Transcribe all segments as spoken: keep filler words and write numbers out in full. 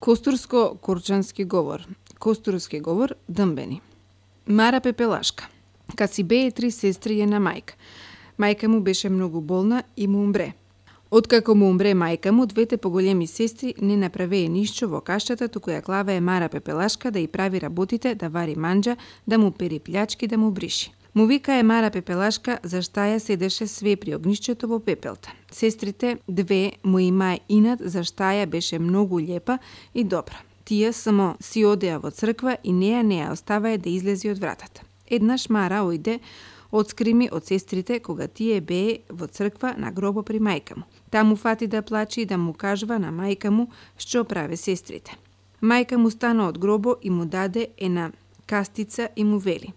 Костурско-корчански говор. Костурски говор дъмбени. Мара Пепелашка. Кад си бее три сестри и една мајка. Мајка му беше многу болна и му умре. Откако му умре мајка му, двете поголеми сестри не направее ништо во каштата, туку ја клавае Мара Пепелашка да ја прави работите, да вари манџа, да му пери плячки, да му бриши. Му викае Мара Пепелашка зашта ја седеше све при огнишчето во пепелта. Сестрите две му имае инат зашта ја беше многу лепа и добра. Тие само си одеа во црква и неа не ја оставае да излези од вратата. Еднаш Мара ојде одскрими од сестрите кога тие бее во црква на гробо при мајка му. Таму фати да плаче и да му кажува на мајка му што праве сестрите. Мајка му стана од гробо и му даде една кастица и му вели: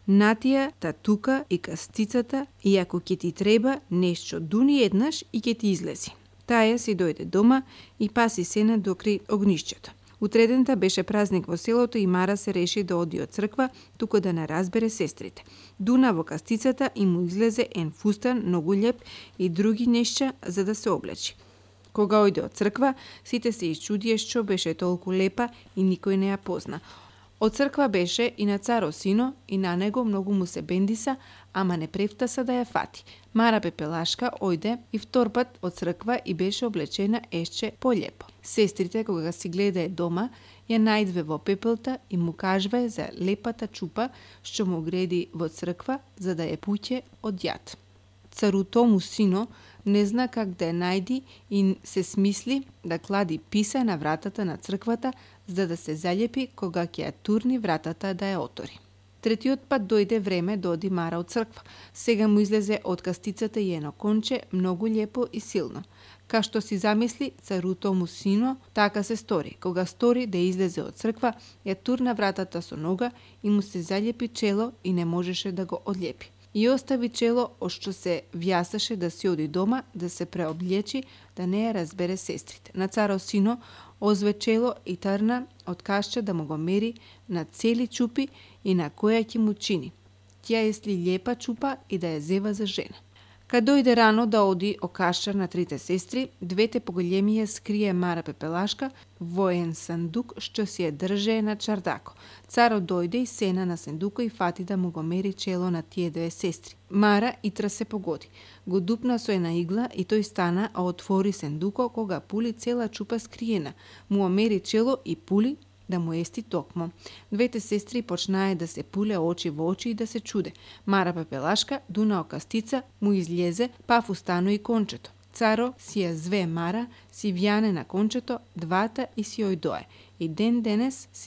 натија та тука и кастицата и ако ќе ти треба нешто дуни еднаш и ќе ти излези. Таја си дојде дома и паси сена докри огнишчето. Утредента беше празник во селото и Мара се реши да оди од црква, туку да не разбере сестрите. Дуна во кастицата и му излезе ен фустан многу леп и други нешта за да се облечи. Кога ојде од црква, сите се исчудија што беше толку лепа и никој не ја позна. Од црква беше и на царо сино и на него многу му се бендиса, ама не префтаса да ја фати. Мара Пепелашка ојде и втор пат од црква и беше облечена ешче полепо. Сестрите, кога си гледае дома, ја најдве во пепелта и му кажвае за лепата чупа што му греди во црква за да ја пуќе од јад. Царуто му сино не зна как да ја најди и се смисли да клади писа на вратата на црквата за да се залепи кога ќе ја турни вратата да ја отори. Третиот пат дојде време да оди Мара од црква. Сега му излезе од кастицата и едно конче многу лепо и силно. Ка што си замисли царуто му сино, така се стори. Кога стори да излезе од црква, ја турна вратата со нога и му се залепи чело и не можеше да го одлепи. И остави чело од што се вјасаше да си оди дома, да се преоблечи, да не ја разбере сестрите. На царо сино озве чело и трна од кашче да му го мери на цели чупи и на која ќе му чини. Тја если лепа чупа и да ја зева за жена. Кад дојде рано да оди окашар на трите сестри, двете поголеми ја скрие Мара Пепелашка во ен сандук што си ја држее на чардако. Царот дојде и сена на сандуко и фати да му го мери чело на тие две сестри. Мара итра се погоди. Го дупна со една игла и тој стана, а отвори сандуко кога пули цела чупа скриена. Му омери чело и пули да му ести токмо. Двете сестри почнае да се пуле очи во очи и да се чуде. Мара Пепелашка дуна окастица, му излезе, па фустано и кончето. Царо си ја зве Мара, си вјане на кончето, двата и си ојдое. И ден денес си